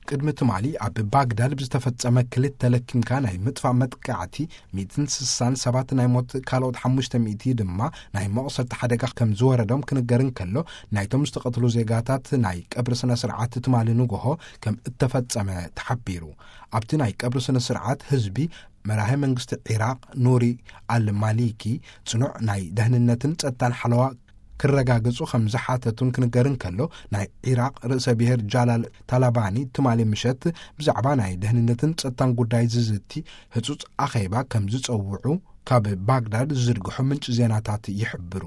ቅድሚ ትማሊ ኣብ ባግዳድ ብዝተፈጸመ ክልተ ለኪምካ ናይ ምጥፋእ መጥቃዕቲ ሚእትን ስሳን ሰባት ናይ ሞት፣ ካልኦት ሓሙሽተ ሚእቲ ድማ ናይ መቑሰልቲ ሓደጋ ከም ዝወረዶም ክንገር እንከሎ፣ ናይቶም ዝተቐትሉ ዜጋታት ናይ ቀብሪ ስነ ስርዓት ትማሊ ንግሆ ከም እተፈጸመ ተሓቢሩ። ኣብቲ ናይ ቀብሪ ስነ ስርዓት ህዝቢ፣ መራሄ መንግስቲ ዒራቕ ኑሪ ኣልማሊኪ ጽኑዕ ናይ ደህንነትን ጸጥታን ሓለዋ ክረጋግጹ ከም ዝሓተቱን ክንገር እንከሎ፣ ናይ ዒራቕ ርእሰ ብሔር ጃላል ታላባኒ ትማሊ ምሸት ብዛዕባ ናይ ደህንነትን ጸጥታን ጉዳይ ዝዝቲ ህጹጽ ኣኼባ ከም ዝጸውዑ ካብ ባግዳድ ዝዝርግሑ ምንጪ ዜናታት ይሕብሩ።